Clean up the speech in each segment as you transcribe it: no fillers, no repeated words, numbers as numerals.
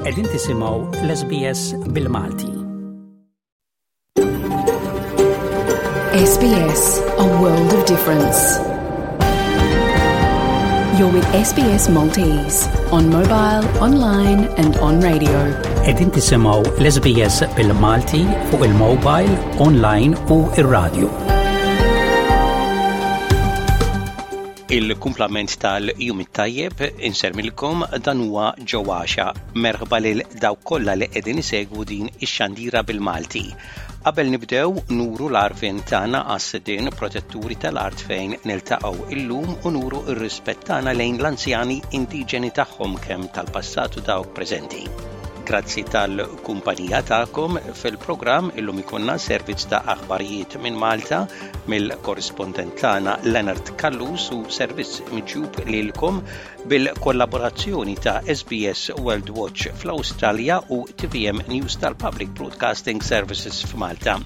Qegħdin tisimgħu l-SBS bil-Malti. SBS, a world of difference. You're with SBS Maltese on mobile, online and on radio. Qegħdin tisimgħu l-SBS bil-Malti fuq il-mobile, online u ir-radio. Il-kumplament tal-jum it-tajjeb insermilkom dan huwa ġewwaxa. Merħba lil dawk kollha li qegħdin isegwu din ix-xandira bil-Malti. Qabel nibdew nuru l-għarfien tagħna għas-sidien protetturi tal-art fejn niltaqgħu illum u nuru r-rispett tagħna lejn l-anzjani indiġeni tagħhom kemm tal-passat u dawk preżenti. Grazzi tal-kumpanija tagħkom fil-programm illum ikollna servizz ta' aħbarijiet minn Malta mill-korrispondent tagħna Leonard Callus u servizz miġjub lilkom bil-kollaborazzjoni ta' SBS World Watch fl-Awstralja u TVM News tal-Public Broadcasting Services f'Malta.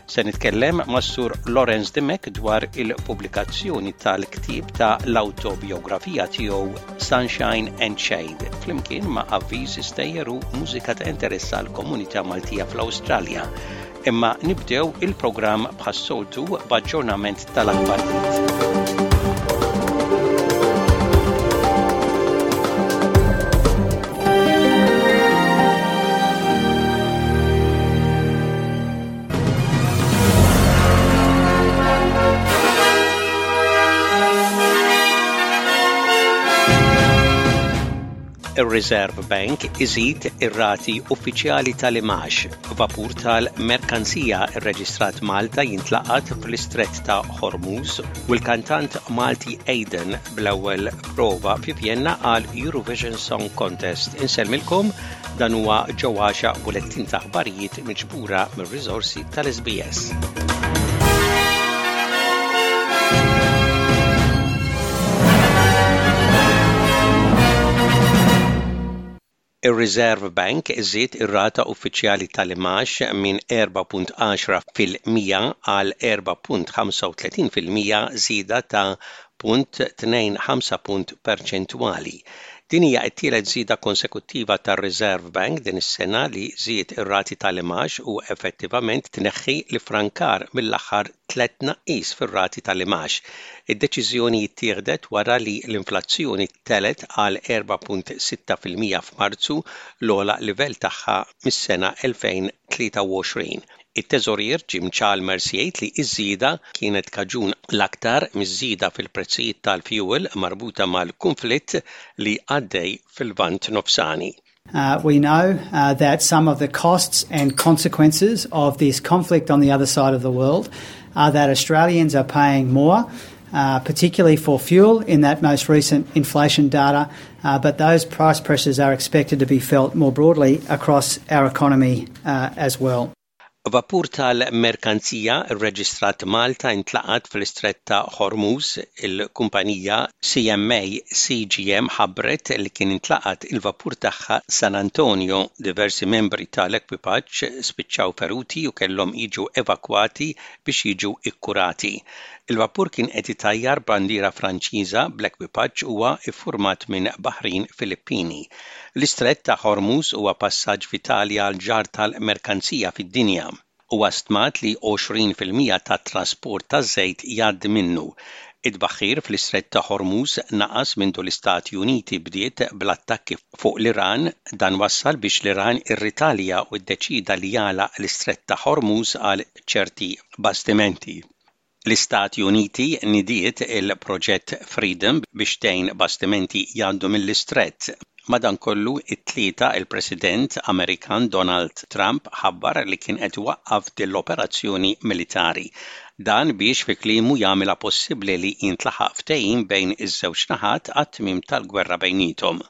Se nitkellem mas-Sur Lawrence Dimech dwar il-pubblikazzjoni tal-ktieb ta' l-awtobiografija tiegħu Sunshine and Shade, flimkien ma' avviż stejjer u mużika ta' interess għall-komunità Maltija fl-Awstralja. Imma nibdew il-programm bħas-soltu b'aġġornament tal-aħbarijiet. Ir-Reserve Bank iżid ir-rati uffiċjali tal-imgħax. Vapur tal-merkanzija rreġistrat Malta jintlaqat fl-Istrett ta' Hormuz u l-kantant Malti Aidan bl-ewwel prova fi Vienna għal Eurovision Song Contest. Insellmilkom dan huwa Joe Għaxa bulettin ta' aħbarijiet miġbura mir-riżorsi tal-SBS. Ir-Reserve Bank żied ir-rata uffiċjali tal-imgħax minn 4.10 fil-100 għal 4.35 fil-100 żieda ta' 0.25 punt perċentwali. Din hija t-tielet żieda konsekuttiva tar-Reserve Bank din is-sena li żied ir-rati tal-imgħax u effettivament tneħħi l-iffrankar mill-aħħar tlett tnaqqis fir-rati tal-imgħax. Id-deċiżjoni ttieħdet wara li l-inflazzjoni telgħet għal 4.6% f'Marzu, l-ogħla livell tagħha mis-sena 2023. It-Teżorier Jim Chalmers jgħid li ż-żieda kienet kaġun l-aktar miż-żieda fil-prezzijiet tal-fjuwil marbuta mal-kunflitt li għaddej fil-Lvant Nofsani. We know that some of the costs and consequences of this conflict on the other side of the world are that Australians are paying more, particularly for fuel in that most recent inflation data, but those price pressures are expected to be felt more broadly across our economy as well. Vapur tal-merkanzija rreġistrat Malta intlaqat fl-Istrett ta' Hormuz. Il-kumpanija CMA CGM ħabbret li kien intlaqat il-vapur tagħha San Antonio. Diversi membri tal-ekwipaġġ spiċċaw feruti u kellhom jiġu evakwati biex jiġu kkurati. Il-vapur kien qed itajjar bandiera Franċiża bl-ekwipaġġ huwa ffurmat minn baħrin Filippini. L-Istrett ta' Hormuz huwa passaġġ vitali għall-ġarr tal-merkanzija fid-dinja. Huwa stmat li 20% tat-trasport taż-żejt jgħaddi minnu. It-tbaħħir fl-Istrett ta' Hormuz naqas mindu l-Istati Uniti bdiet bl-attakki fuq l-Iran. Dan wassal biex l-Iran irritalja u ddeċieda li jagħlaq l-Istrett ta' Hormuz għal ċerti bastimenti. L-Istati Uniti nidiet il-Proġett Freedom biex tgħin bastimenti jgħaddu mill-Istrett. Madankollu, it-Tlieta il-President Amerikan Donald Trump ħabbar li kien qed iwaqqaf din l-operazzjoni militari. Dan biex fi kliemu jagħmilha possibbli li jintlaħaq ftehim bejn iż-żewġ naħat għat-tmiem tal-gwerra bejniethom.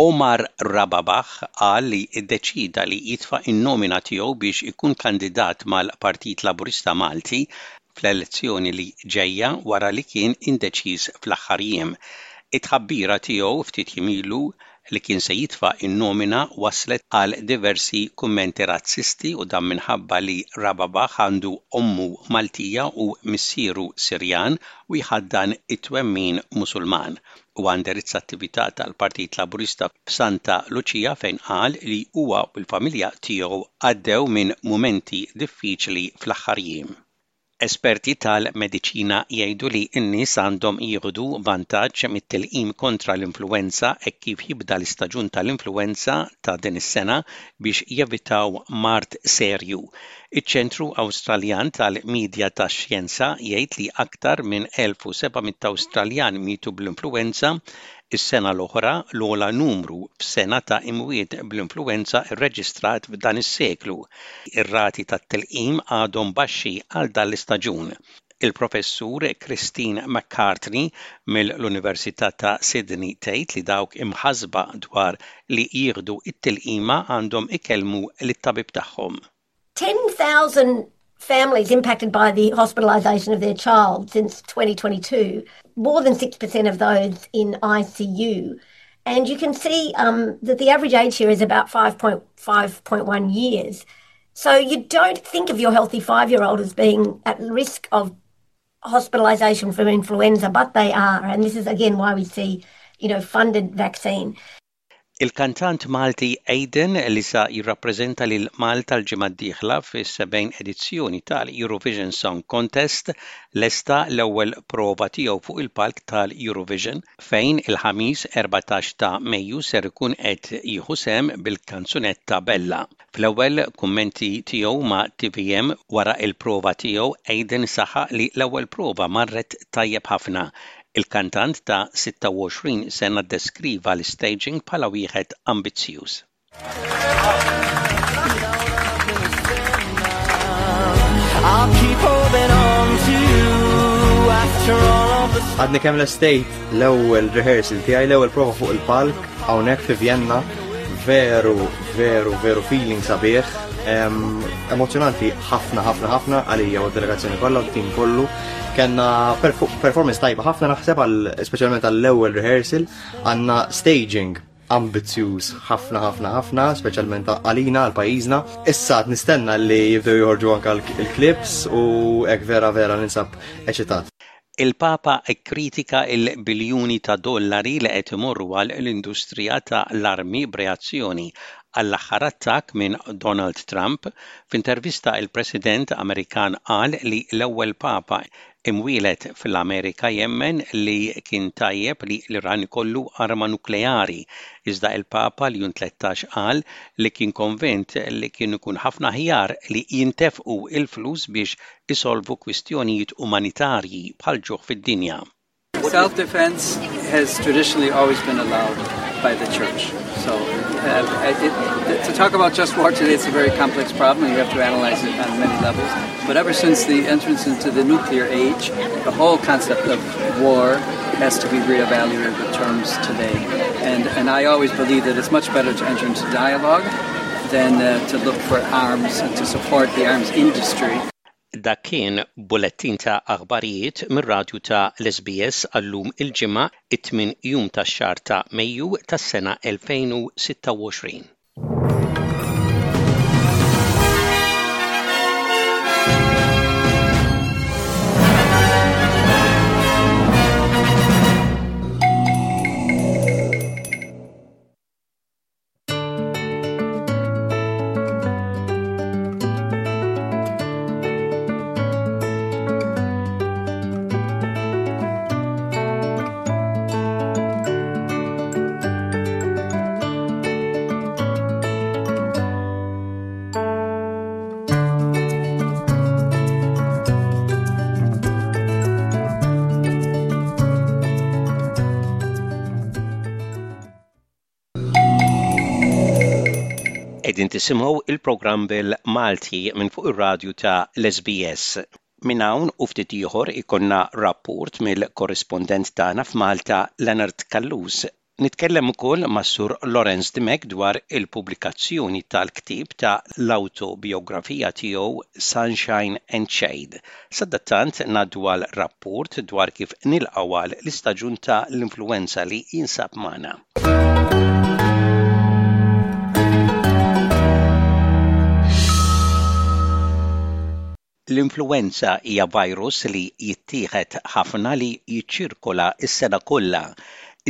Omar Rababah qal li ddeċieda li jitfa' n-nomina tiegħu biex ikun kandidat mal-Partit Laburista Malti fl-elezzjoni li ġejja wara li kien indeċiż fl-aħħar jiem. It-tħabbira tiegħu ftit jiem ilu. li kien se jitfa' n-nomina wasslet għal diversi kummenti razzisti u dan minħabba li Rababah għandu ommu Maltija u missieru Sirjan u jħaddan it-twemmin Musulman. Huwa indirizza attività tal-Partit Laburista f'Santa Luċija fejn qal li huwa u l-familja tiegħu għaddew minn mumenti diffiċli fl-aħħar jiem. Esperti tal-mediċina jgħidu li n-nies għandhom jieħdu vantaġġ mit-tilqim kontra l-influwenza hekk kif jibda l-istaġun tal-influwenza ta' din is-sena biex jevitaw mard serju. Iċ-Ċentru Awstraljan tal-Midja tax-Xjenza jgħid li aktar minn 1,700 Awstraljan mietu bl-influwenza Is-sena l-oħra, l-ogħla numru f'sena ta' imwiet bl-influwenza rreġistrat f'dan is-seklu. Ir-rati tat-tilqim għadhom baxxi għal dan l-istaġun. Il-Professur Christine McCartney mill-Università ta' Sydney tgħid li dawk imħassba dwar li jieħdu t-tilqima għandhom ikellmu lit-tabib tagħhom. 10,000 families impacted by the hospitalisation of their child since 2022, more than 6% of those in ICU. And you can see um, that the average age here is about 5.5.1 years. So you don't think of your healthy five year old as being at risk of hospitalisation from influenza, but they are. And this is again why we see, you know, funded vaccine. Il-kantant Malti Aidan li sa jirrappreżenta lil Malta l-ġimgħa d-dieħla fis-70 edizzjoni tal-Eurovision Song Contest lesta l-ewwel prova tiegħu fuq il-palk tal-Eurovision fejn il-Ħamis 14 ta' Mejju ser ikun qed jieħu sehem bil-kanzunetta Bella. Fl-ewwel kummenti tiegħu ma' tvm wara l-prova tiegħu Aidan saħaq li l-ewwel prova marret tajjeb ħafna. Il-kantant ta' 26 sena ddeskriva l-istaging bħala wieħed ambizzjuż. Għadni kemm lestejt l-ewwel rehearsal tiegħi, l-ewwel prova fuq il-palk hawnhekk fi Vienna. Veru, veru, veru feeling sabiħ. Emozjonanti ħafna, ħafna, ħafna għalija u d-delegazzjoni kollha u t-tim kollu. Kenna performance tajba ħafna naħseb għal speċjalment għall-ewwel rehearsal għandna staging ambizzjuż ħafna ħafna ħafna, speċjalment għalina għal pajjiżna. Issa qed nistenna li jibdew joħorġu anke l-clips u hekk vera vera ninsab eċitat. Il-Papa kkritika l-biljuni ta' dollari li qed imorru għal l-industrija ta' l-armi b'reazzjoni għall-aħħar attakk minn Donald Trump. F'intervista il-President Amerikan qal li l-ewwel Papa imwieled fl-Amerika jemmen li kien tajjeb li l-Iran ikollu arma nukleari, iżda il-Papa Ljun 13 qal li kien konvint li kien ikun ħafna aħjar li jintefqu l-flus biex isolvu kwistjonijiet umanitarji bħall-ġuħ fid-dinja. Self-defense has traditionally always been allowed by the church. So uh, it, to talk about just war today, it's a very complex problem. You have to analyze it on many levels. But ever since the entrance into the nuclear age, the whole concept of war has to be reevaluated with terms today. And, and I always believe that it's much better to enter into dialogue than uh, to look for arms and to support the arms industry. Dak kien bulettin ta' aħbarijiet mir-radju ta' l-SBS għal-lum il-Ġimgħa, it-tmien jum tax-xahar ta' Mejju tas-sena 2026. Qegħdin tisimgħu il-programm bil-Malti minn fuq ir-radju ta' l-SBS. Minn hawn u ftit ieħor ikollna rapport mill-korrispondent tagħna f'Malta Leonard Callus. Nitkellem ukoll mas-Sur Lawrence Dimech dwar il-pubblikazzjoni tal-ktieb ta' l-awtobiografija tiegħu Sunshine and Shade. Sadattant ngħaddu għal rapport dwar kif nilqgħu għal l-istaġun ta' l-influwenza li jinsab magħna. L-influwenza hija virus li jittieħed ħafna li jiċċirkola s-sena kollha.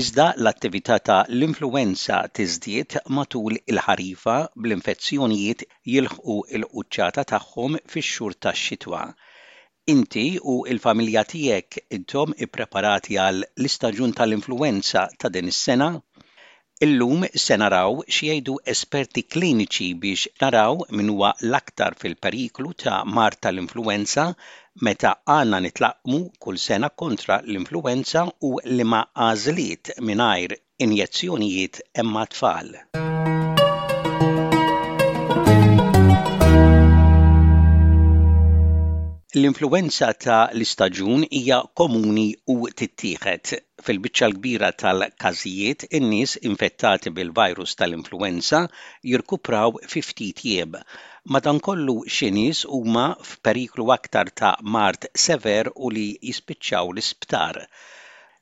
Iżda l-attività ta' l-influwenza tiżdied matul il-ħarifa bl-infezzjonijiet jilħqu l-quċċata tagħhom fix-xhur tax-xitwa. Inti u l-familja tiegħek intom ippreparati għal l-istaġun tal-influwenza ta' din is-sena? Illum se naraw x'jgħidu esperti kliniċi biex naraw min huwa l-aktar fil-periklu ta' mard tal-influwenza, meta għandna nitlaqqmu kull sena kontra l-influwenza u liema għażliet mingħajr injezzjonijiet hemm għat-tfal. L-influwenza ta' l-istaġun hija komuni u tittieħed. Fil-biċċa l-kbira tal-każijiet, in-nies infettati bil-virus tal-influwenza jirkupraw fi ftit jiem. Madankollu xi nies huma f'periklu aktar ta' mard sever u li jispiċċaw l-isptar.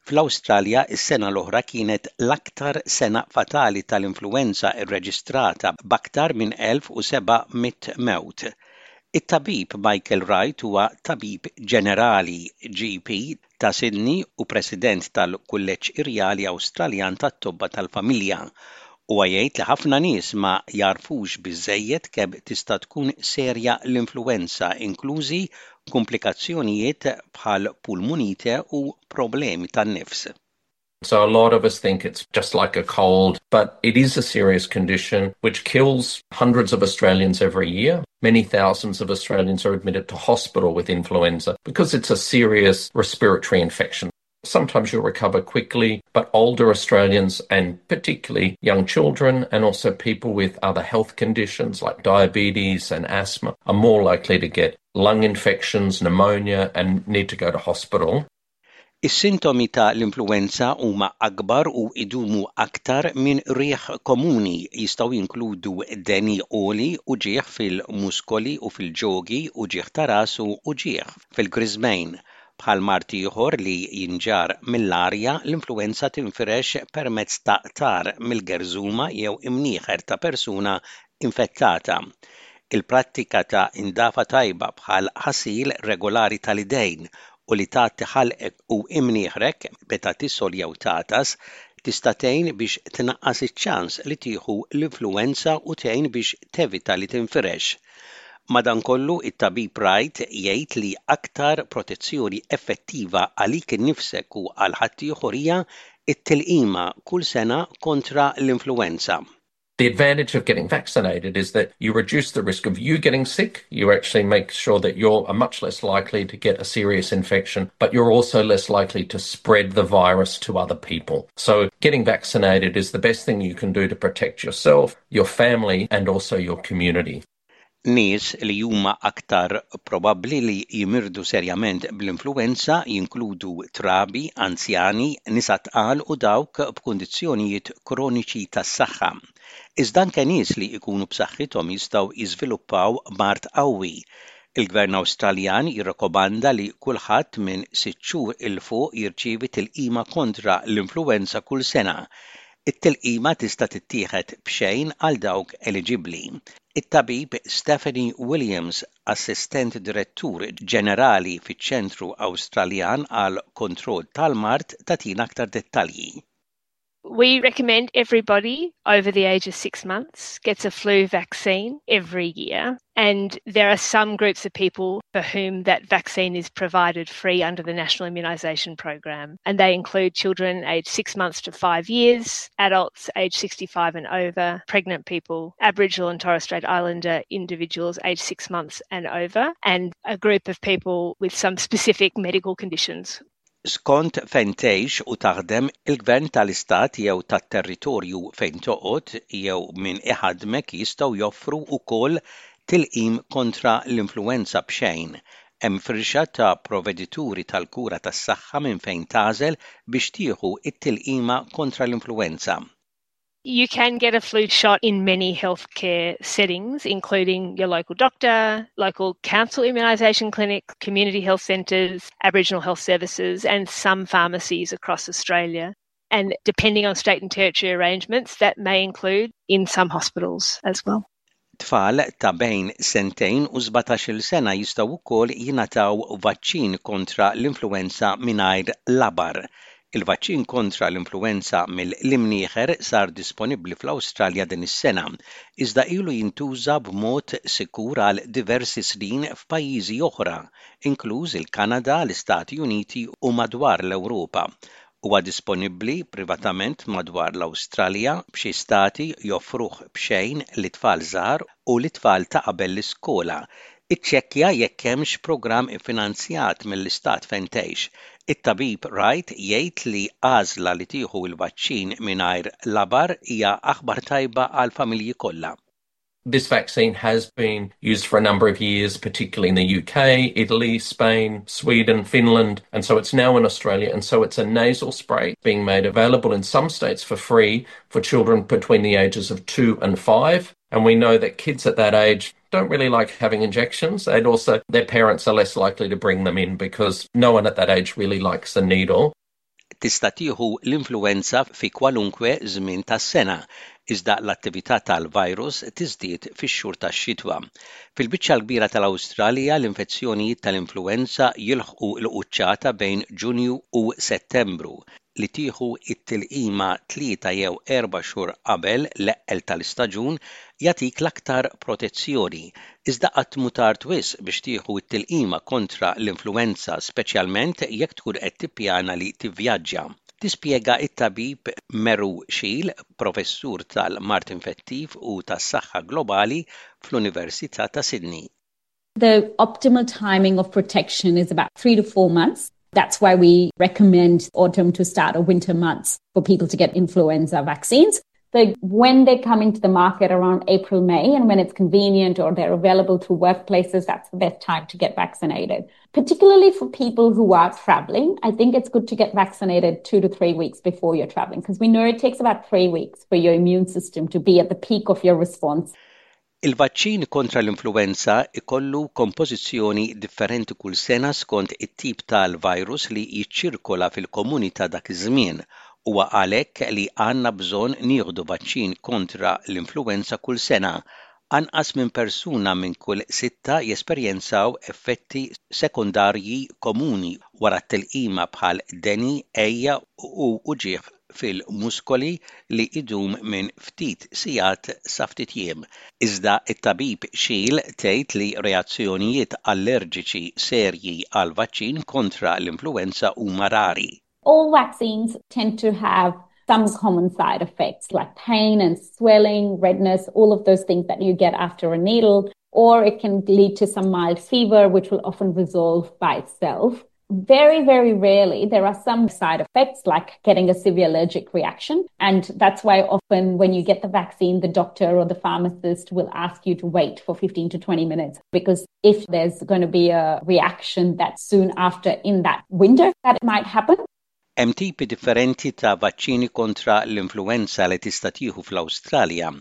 Fl-Awstralja s-sena l-oħra kienet l-aktar sena fatali tal-influwenza rreġistrata b'aktar minn 1,700 mewt. It-tabib Michael Wright huwa tabib ġenerali, GP, ta' Sydney u President tal-Kulleġġ Irjali Awstraljan tat-Tobba tal-Familja. Huwa jgħid li ħafna nies ma jagħrfux biżżejjed kemm tista' tkun serja l-influwenza, inklużi kumplikazzjonijiet bħal pulmunite u problemi tan-nifs. So a lot of us think it's just like a cold, but it is a serious condition which kills hundreds of Australians every year. Many thousands of Australians are admitted to hospital with influenza because it's a serious respiratory infection. Sometimes you'll recover quickly, but older Australians and particularly young children and also people with other health conditions like diabetes and asthma are more likely to get lung infections, pneumonia, and need to go to hospital. Is-sintomi ta' l-influwenza huma akbar u jdumu aktar minn riħ komuni. Jistgħu jinkludu deni għoli, uġigħ fil-muskoli u fil-ġogi, uġigħ ta' ras u uġigħ fil-griżmejn. Bħal mard ieħor li jinġarr mill-arja, l-influwenza tinfirex permezz ta' qtar mill-gerżuma jew imnieħer ta' persuna infettata. Il-prattika ta' indafa tajba bħal ħasil regolari tal-idejn u li tgħatti ħalqek u imnieħrek meta tisgħol jew tagħtas tista' tgħin biex tnaqqas iċ-ċans li tieħu l-influwenza u tgħin biex tevita li tinfirex. Madankollu, it-tabib Wright jgħid li aktar protezzjoni effettiva għalik innifsek u għal ħaddieħor hija t-tilqima kull sena kontra l-influwenza. The advantage of getting vaccinated is that you reduce the risk of you getting sick. You actually make sure that you're much less likely to get a serious infection, but you're also less likely to spread the virus to other people. So getting vaccinated is the best thing you can do to protect yourself, your family, and also your community. Nies li huma aktar probabbli li jimirdu serjament bl-influwenza jinkludu trabi, anzjani, nisa tqal u dawk b'kundizzjonijiet kroniċi tas-saħħa. Iżda anke nies li jkunu b'saħħithom jistgħu jiżviluppaw mard qawwi. Il-Gvern Awstraljan jirrakkomanda li kulħadd minn sitt xhur 'il fuq jirċievi tilqima kontra l-influwenza kull sena. It-tilqima tista' tittieħed b'xejn għal dawk eliġibbli. It-tabib Stephanie Williams, Assistent Direttur Ġenerali fiċ-Ċentru Awstraljan għall-Kontroll tal-Mard tagħtina aktar dettalji. We recommend everybody over the age of six months gets a flu vaccine every year. And there are some groups of people for whom that vaccine is provided free under the National Immunisation Program. And they include children aged six months to five years, adults aged 65 and over, pregnant people, Aboriginal and Torres Strait Islander individuals aged six months and over, and a group of people with some specific medical conditions. Skont fejn tgħix u taħdem, il-gvern tal-istat jew tat-territorju fejn toqgħod jew min iħaddmek jistgħu joffru wkoll tilqim kontra l-influwenza b'xejn. Hemm firxa ta' provvedituri tal-kura tas-saħħa minn fejn tagħżel biex tieħu t-tilqima kontra l-influwenza. You can get a flu shot in many healthcare settings, including your local doctor, local council immunisation clinic, community health centres, Aboriginal health services, and some pharmacies across Australia. And depending on state and territory arrangements, that may include in some hospitals as well. Tfal ta' bejn sentejn u 17-il sena jistgħu wkoll jingħataw vaċċin kontra l-influwenza mingħajr labar. Il-vaċċin kontra l-influwenza mill-imnieħer sar disponibbli fl-Awstralja din is-sena, iżda ilu jintuża b'mod sikur għal diversi snin f'pajjiżi oħra, inkluż il-Kanada, l-Istati Uniti u madwar l-Ewropa. Huwa disponibbli privatament madwar l-Awstralja, b'xi stati joffruh b'xejn lit-tfal żgħar u lit-tfal ta' qabel l-iskola. Iċċekkja jekk hemmx programm iffinanzjat mill-istat fejn tgħix. It-tabib Wright jgħid li għażla li tieħu l-vaċċin mingħajr labar hija aħbar tajba għall-familji kollha. This vaccine has been used for a number of years, particularly in the UK, Italy, Spain, Sweden, Finland, and so it's now in Australia. And so it's a nasal spray being made available in some states for free for children between the ages of two and five. And we know that kids at that age don't really like having injections. And also, their parents are less likely to bring them in because no one at that age really likes a needle. Tista' tieħu l-influwenza fi kwalunkwe żmien tas-sena, iżda l-attività tal-virus tiżdied fix-xhur tax-xitwa. Fil-biċċa l-kbira tal-Awstralja l-infezzjonijiet tal-influwenza jilħqu l-quċċata bejn Ġunju u Settembru. Li tieħu t-tilqima tlieta jew erba' xhur qabel l-eqqel tal-istaġun jagħtik l-aktar protezzjoni. Iżda qatt mhu tard wisq biex tieħu t-tilqima kontra l-influwenza, speċjalment jekk tkun qed tippjana li tivvjaġġa. Tispjega t-tabib Meru Sheil, professur tal-mard infettiv u tas-saħħa globali fl-Università ta' Sydney. The optimal timing of protection is about three to four months. That's why we recommend autumn to start or winter months for people to get influenza vaccines. So when they come into the market around April, May, and when it's convenient or they're available through workplaces, that's the best time to get vaccinated. Particularly for people who are traveling, I think it's good to get vaccinated two to three weeks before you're traveling, because we know it takes about three weeks for your immune system to be at the peak of your response. Il-vaċċin kontra l-influwenza jkollu kompożizzjoni differenti kull sena skont it-tip tal-virus li jiċċirkola fil-komunità dak iż-żmien. Huwa għalhekk li għandna bżonn nieħdu vaċċin kontra l-influwenza kull sena. Anqas minn persuna minn kull sitta jesperjenzaw effetti sekondarji komuni wara t-tilqima bħal deni, għeja u uġigħ fil-muskoli li jdum minn ftit sigħat sa ftit jiem. Iżda t-tabib Shiel tgħid li reazzjonijiet allerġiċi serji għall-vaċċin kontra l-influwenza huma rari. All vaccines tend to have some common side effects like pain and swelling, redness, all of those things that you get after a needle, or it can lead to some mild fever, which will often resolve by itself. Very, very rarely there are some side effects like getting a severe allergic reaction. And that's why often when you get the vaccine, the doctor or the pharmacist will ask you to wait for 15 to 20 minutes because if there's going to be a reaction that soon after in that window that it might happen. Hemm tipi differenti ta' vaċċini kontra l-influwenza li tista' tieħu fl-Awstralja.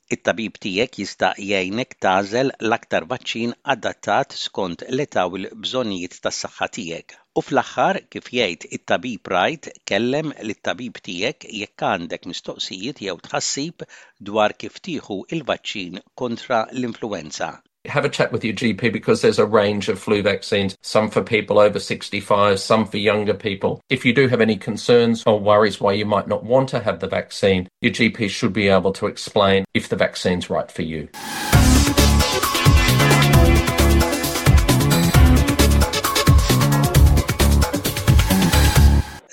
It-tabib tiegħek jista' jgħinek tagħżel l-aktar vaċċin adattat skont l-età u l-bżonnijiet tas-saħħa tiegħek. U fl-aħħar, kif jgħid it-tabib Wright, kellem lit-tabib tiegħek jekk għandek mistoqsijiet jew tħassib dwar kif tieħu l-vaċċin kontra l-influwenza. Have a chat with your GP because there's a range of flu vaccines, some for people over 65, some for younger people. If you do have any concerns or worries why you might not want to have the vaccine, your GP should be able to explain if the vaccine's right for you.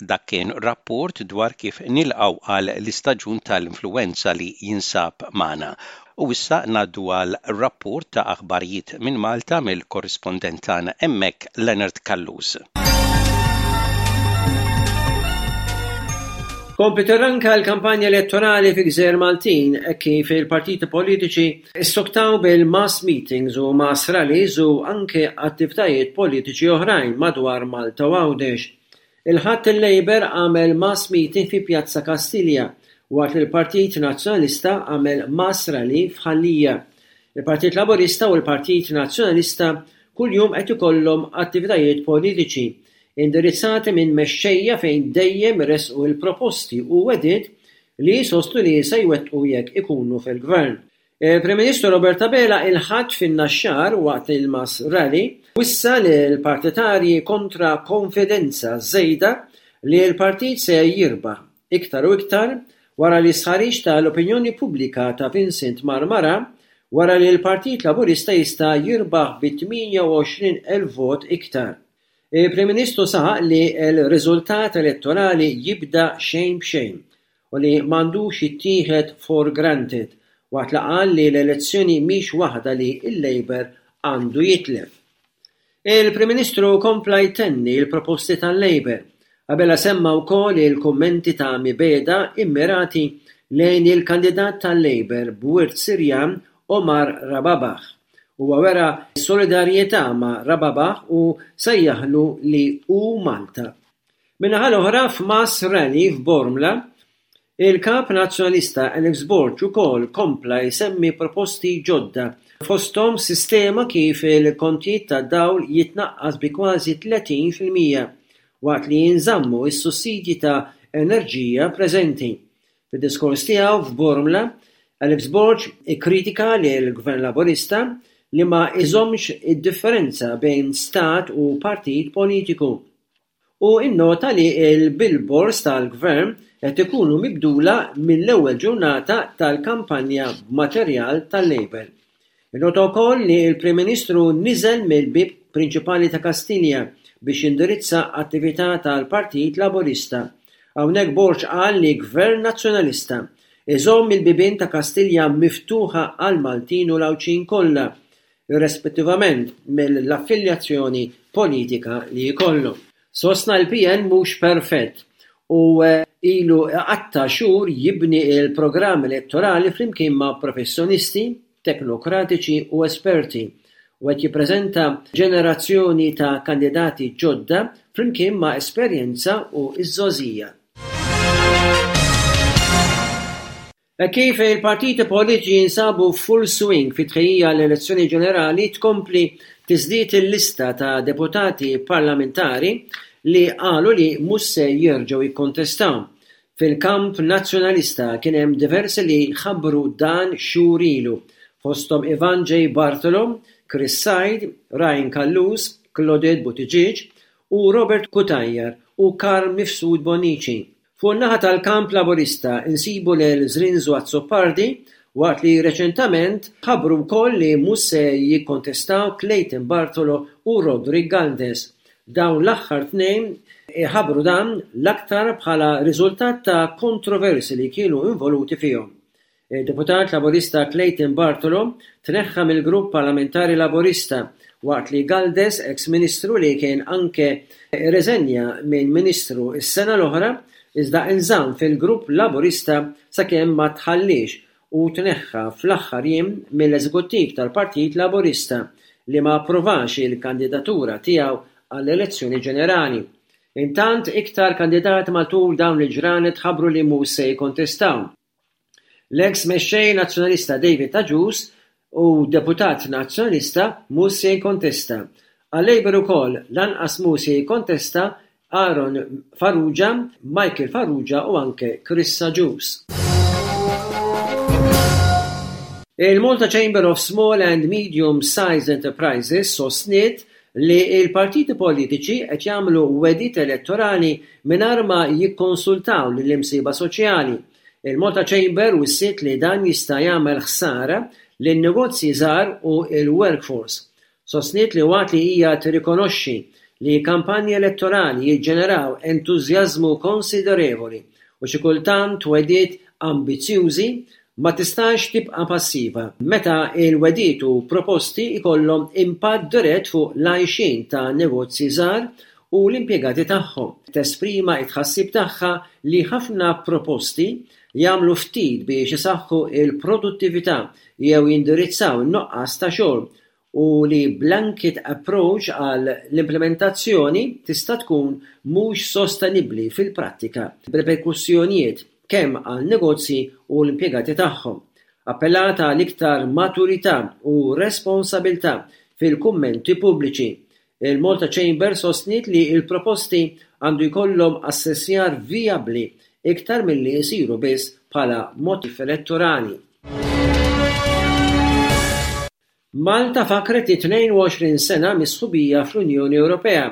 Dak kien rapport dwar kif nilqgħu għal l-istaġun tal-influwenza li jinsab magħna. U issa ngħaddu għal rapport ta' aħbarijiet minn Malta mill-korrispondent tagħna hemmhekk Leonard Callus. Kompliet tirranka l-kampanja elettorali fi gżejjer Maltin hekk kif il-partiti politiċi ssoktaw bil-mass meetings u mass rallies u anke attivitajiet politiċi oħrajn madwar Malta u Għawdex. Il-Ħadd il-Labour għamel mass meeting fi Pjazza Kastilja waqt li l-Partit Nazzjonalista għamel mass rally f'Ħal Lija. Il-Partit Laburista u l-Partit Nazzjonalista kuljum qed ikollhom attivitajiet politiċi indirizzati minn mexxejja fejn dejjem iressqu l-proposti u wegħdiet li jsostnu li se jwettqu jekk ikunu fil-Gvern. Il-Prim Ministru Robert Abela il-Ħadd fin-Naxxar waqt il-Mass Rally wissa lill-partitarji kontra konfidenza żejda li l-partit se jirbaħ, iktar u iktar wara li stħarriġ tal-opinjoni pubblika ta' Vincent Marmara wera li l-Partit Laburista jista' jirbaħ bi 28,000 vot iktar. Il-Prim Ministru saħaq li l-riżultat elettorali jibda xejn b'xejn u li m'għandux jittieħed for granted waqt li qal li l-elezzjoni mhix waħda li l-Labour għandu jitlef. Il-Prim Ministru kompla jtenni l-proposti tal-Labour. Abela semma wkoll il-kummenti ta' mibegħda immirati lejn il-kandidat tal-Labour b'wirt Sirjan Omar Rababah. Huwa wera solidarjetà ma' Rababah u sejjaħlu li hu Malta. Min-naħa l-oħra f'mass rally f'Bormla, il-Kap Nazzjonalista Alex Borg ukoll kompla jsemmi proposti ġodda, fosthom sistema kif il-kontijiet tad-dawl jitnaqqas bi kważi 30% waqt li jinżammu s-sussidji ta' enerġija preżenti. Fid-diskors tiegħu f'Bormla, Alex Borg ikkritika lill-Gvern Laburista li ma jżommx id-differenza bejn stat u partit politiku. u nnota li l-billboards tal-Gvern qed ikunu mibdula mill-ewwel ġurnata tal-kampanja b'materjal tal-Labour. Innota wkoll li l-Prim Ministru niżel mill-bieb prinċipali ta' Kastilja biex jindirizza attività tal-Partit Laburista. Hawnhekk Borg qal li Gvern Nazzjonalista iżomm il-bibien ta' Kastilja miftuħa għall-Maltin u l-Għawdxin kollha irrespettivament mill-affiljazzjoni politika li jkollu. Sostna l-PN mhux perfett u ilu iqatta' xhur jibni l-programm elettorali flimkien ma' professjonisti, teknokratiċi u esperti u qed jippreżenta ġenerazzjoni ta' kandidati ġodda flimkien ma' esperjenza u ż-żgħożija. Hekk kif il-partiti politiċi jinsabu f'full swing fit-tħejjija għall-elezzjoni ġenerali tkompli tiżdied il-lista ta' deputati parlamentari li qalu li mhux se jerġgħu jikkontestaw. Fil-kamp Nazzjonalista kien hemm diversi li ħabbru dan xhur ilu, fosthom Ivan J. Bartolo, Chris Said, Ryan Callus, Claudette Buttigieg u Robert Cutajar u Carm Mifsud Bonnici. Fuq in-naħa tal-kamp Laburista nsibu lil Zrinzo Azzopardi waqt li reċentament ħabbru wkoll li mhux se jikkontestaw Clayton Bartolo u Roderick Galdes. Dawn l-aħħar tnejn ħabbru dan l-aktar bħala riżultat ta' kontroversji li kienu involuti fihom. Id-Deputat Laburista Clayton Bartolo tneħħa mill-Grupp Parlamentari Laburista waqt li Galdes, eks Ministru li kien anke rreżenja minn Ministru s-sena l-oħra, iżda inżamm fil-Grupp Laburista sakemm ma tħalliex u tneħħa fl-aħħar jiem mill-Eżekuttiv tal-Partit Laburista li ma approvax il-kandidatura tiegħu għall-elezzjoni ġenerali. Intant, iktar kandidati matul dawn il-ġranet ħabbru li mhux se jikkontestaw. L-eks Mexxej Nazzjonalista David Agius u deputat Nazzjonalista mhux se jikkontesta. Għal-Labour ukoll lanqas mhu se jikkontesta Aaron Farrugia, Michael Farrugia u anke Chris Agius. Il-Malta Chamber of Small and Medium Sized Enterprises sostniet li l-partiti politiċi qed jagħmlu wegħdiet elettorali mingħajr ma jikkonsultaw lill-imsieħba soċjali. Il-Malta Chamber wissiet li dan jista' jagħmel ħsara lin-negozji żgħar u l-workforce. Sostniet li waqt li hija tirrikonoxxi li kampanji elettorali jiġġeneraw entużjażmu konsiderevoli u xi kultant wegħdiet ambizzjużi, ma tistax tibqa' passiva meta l-wegħdiet u proposti jkollhom impatt dirett fuq l-għajxien ta' negozji żgħar u l-impjegati tagħhom. Tesprima t-tħassib tagħha li ħafna proposti jagħmlu ftit biex isaħħu l-produttività jew jindirizzaw in-nuqqas ta' xogħol u li blanket approach għal l-implimentazzjoni tista' tkun mhux sostenibbli fil-prattika, b'riperkussjonijiet kemm għal negozji u l-impjegati tagħhom. Appellat għal iktar maturità u responsabilità fil-kummenti pubbliċi. Il-Malta Chamber sostniet li l-proposti għandu jkollhom assessjar vijabbli iktar milli jsiru biss bħala motiv elettorali. Malta fakkret it-22 sena mis-sħubija fl-Unjoni Ewropea.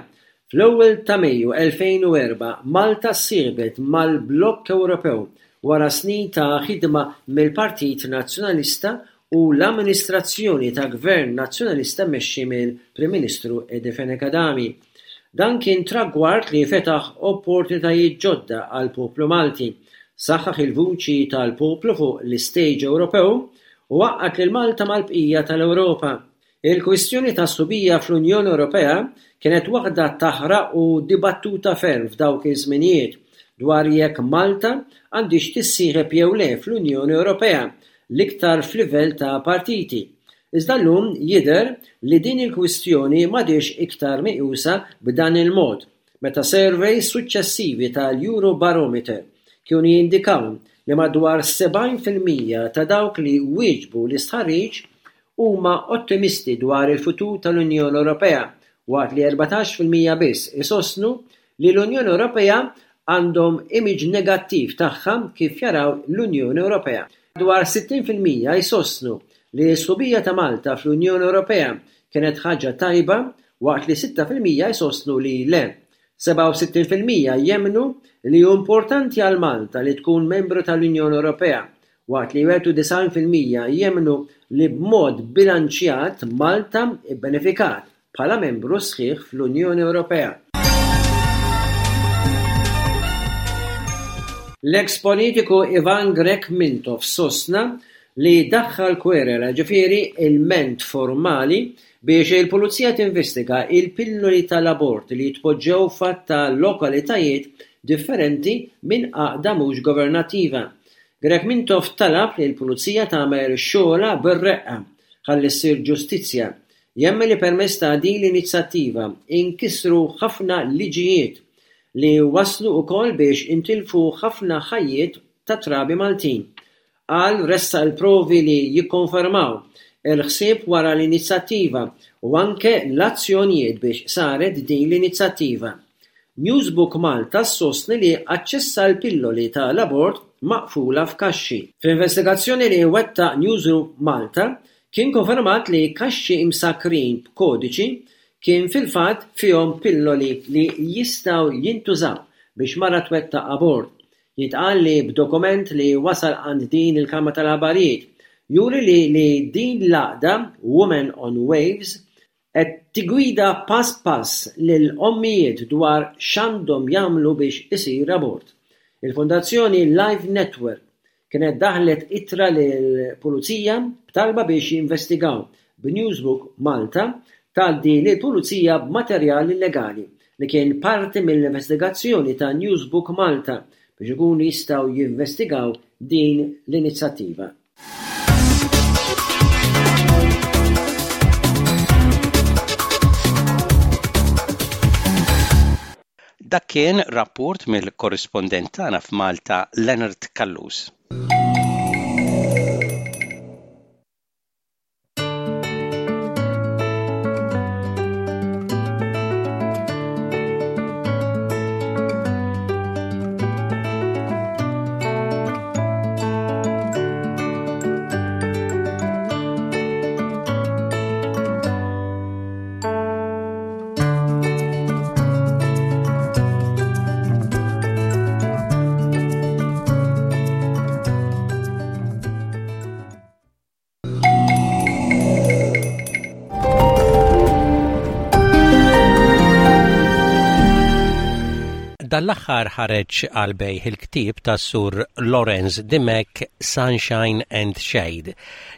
Fl-ewwel ta' Mejju 2004, Malta ssieħbet mal-blokk Ewropew wara snin ta' ħidma mill-Partit Nazzjonalista u l-amministrazzjoni ta' Gvern Nazzjonalista mmexxi mill-Prim Ministru Eddie Fenech Adami. Dan kien tragward li fetaħ opportunitajiet ġodda għall-poplu Malti, saħħaħ il-vuċi tal-poplu fuq l-istage Ewropew u għaqqad lil Malta mal-bqija tal-Ewropa. Il-kwistjoni tas-sħubija fl-Unjoni Ewropea kienet waħda taħraq u dibattuta ferm f'dawk iż-żminijiet dwar jekk Malta għandhiex tissieħeb jew le fl-Unjoni Ewropea, l-iktar f'livell ta' partiti. Iżda llum jidher li din il-kwistjoni m'għadhiex iktar meqjusa b'dan il-mod. meta surveys suċċessivi tal-Eurobarometer kienu jindikaw li madwar 70% ta' dawk li wieġbu l-istħarriġ huma ottimisti dwar il-futur tal-Unjoni Ewropea waqt li 14% biss isostnu li l-Unjoni Ewropea għandhom image negattiv tagħha kif jaraw l-Unjoni Ewropea. Madwar 60% jsostnu li s-sħubija ta' Malta fl-Unjoni Ewropea kienet ħaġa tajba waqt li 6% jsostnu li le. 67% jemmnu li hu importanti għal Malta li tkun membru tal-Unjoni Ewropea, waqt li 91% jemmnu li b'mod bilanċjat Malta bbenefikat bħala membru sħiħ fl-Unjoni Ewropea. L-eks politiku Ivan Grech Mintoff sostna li daħħal kwerela, ġifieri ilment formali, biex il-Pulizija tinvestiga il-pilloli tal-abort li jitpoġġew f'għadd ta' lokalitajiet differenti minn għaqda mhux governattiva. Grech Mintoff talab li l-Pulizija tagħmel xogħolha bir-reqqa ħalli ssir ġustizzja. Jemmen li permezz ta' din l-inizjattiva inkisru ħafna liġijiet li wasslu wkoll biex intilfu ħafna ħajjiet ta' trabi Maltin. Qal ressaq il-provi li jikkonfermaw il-ħsieb wara l-inizjattiva u anke l-azzjonijiet biex saret din l-inizjattiva. Newsbook Malta ssostni li aċċessa l-pilloli ta' l-abort maqfula f'kaxxi. Fl-investigazzjoni li wettaq Newsroom Malta kien konfermat li kaxxi msakkrin b'kodiċi kien fil-fatt fihom pilloli li jistgħu jintużaw biex mara twettaq abort. Jintqal li b'dokument li wasal għand din il-kamra tal-aħbarijiet juri li li din l-għaqda Women on Waves qed tiggwida pass pass lil ommijiet dwar x'għandhom jagħmlu biex isir abort. Il-Fondazzjoni Life Network kienet daħlet ittra lill-Pulizija b'talba biex jinvestigaw b'Newsbook Malta tgħaddi lill-Pulizija b'materjal illegali li kien parti mill-investigazzjoni ta' Newsbook Malta biex ikunu jistgħu jinvestigaw din l-inizjattiva. Dak kien rapport mill-korrispondent tagħna f'Malta Leonard Callus. Dan l-aħħar ħareġ għal bejħ il-ktieb tas-Sur Lawrence Dimech Sunshine and Shade.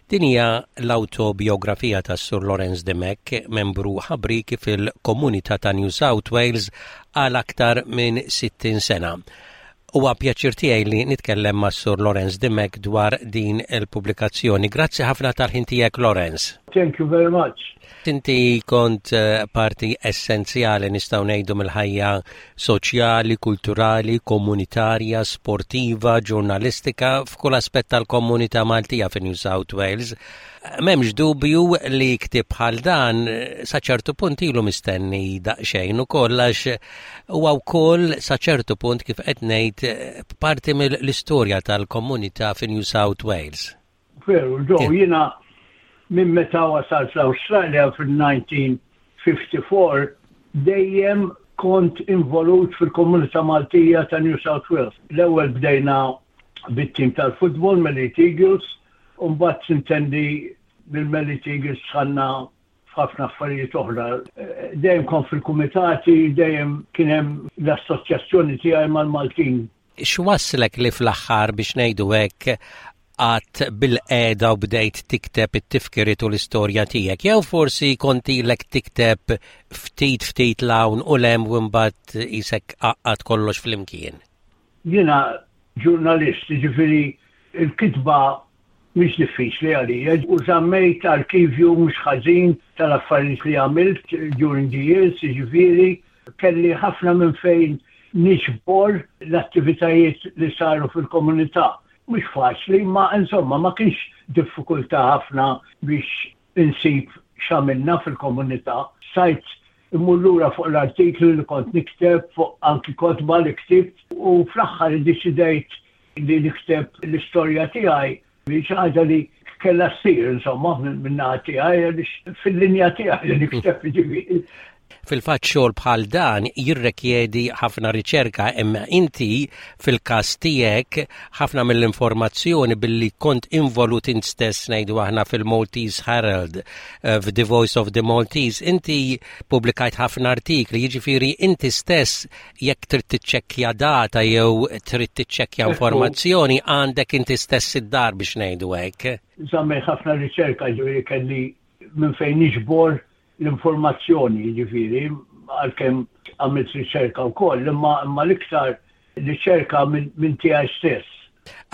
Din hija l-awtobiografija tas-Sur Lawrence Dimech, membru ħabrieki fil-komunità ta' New South Wales għal aktar minn 60 sena. Huwa pjaċir tiegħi li nitkellem mas-Sur Lawrence Dimech dwar din il-pubblikazzjoni. Grazzi ħafna tal-ħin tiegħek Lawrence. Thank you very much. Inti kont eh, parti essenzjali nistgħu ngħidu mill-ħajja soċjali, kulturali, komunitarja, sportiva, ġurnalistika f'kull aspett tal-komunità Maltija fi New South Wales. M'hemmx dubju li ktieb bħal dan sa ċertu punt ilu mistenni daqsxejn ukoll għax huwa wkoll sa ċertu punt kif qed ngħid parti mill-istorja tal-komunità fi New South Wales. Veru, Joe, jiena Minn meta wasalt l-Awstralja fil-1954 dejjem kont involut fil-komunità Maltija ta' New South Wales. L-ewwel bdejna bit-tim tal-futbol Melite Eagles u mbagħad sintendi mill-Melite Eagles dħalna f'ħafna affarijiet oħra. Dejjem kont fil-kumitati, dejjem kien hemm l-assoċjazzjoni tiegħi mal-Maltin. X'wasslek li fl-aħħar biex ngħidu hekk qgħadt bilqiegħda u bdejt tikteb it-tifkiriet u l-istorja tiegħek? Jew forsi kont ilek tikteb ftit ftit 'l hawn u 'l hemm u mbagħad qisek għaqqadt kollox flimkien? Jiena ġurnalist, jiġifieri l-kitba mhix diffiċli għalija u żammejt arkivju mhux ħażin tal-affarijiet li għamilt during the years, jiġifieri kelli ħafna minn fejn niġbor l-attivitajiet li saru fil-komunità. Mhux faċli, imma insomma ma kienx diffikultà ħafna biex insib x'għamilna fil-komunità. Stajt immur lura fuq l-artikli li kont nikteb, fuq anki kotba li ktibt u fl-aħħar iddeċidejt li nikteb l-istorja tiegħi xi ħaġa li kellha ssir insomma min-naħa tiegħi għaliex fil-linja tiegħi li nikteb ġifieri. Fil-fatt xogħol bħal dan jirrekjedi ħafna riċerka imma inti fil-każ tiegħek ħafna mill-informazzjoni billi kont involut int stess ngħidu aħna fil-Maltese Herald, eh, f'The Voice of the Maltese, inti pubblikajt ħafna artikli, jiġifieri inti stess jekk trid tiċċekkja data jew trid tiċċekkja informazzjoni għandek inti stess id-dar biex ngħidu hekk. Żammejt ħafna riċerka ġifieri kelli minn fejn niġbor l-informazzjoni jiġifieri għalkemm għamilt riċerka wkoll imma imma l-iktar riċerka minn tiegħi stess.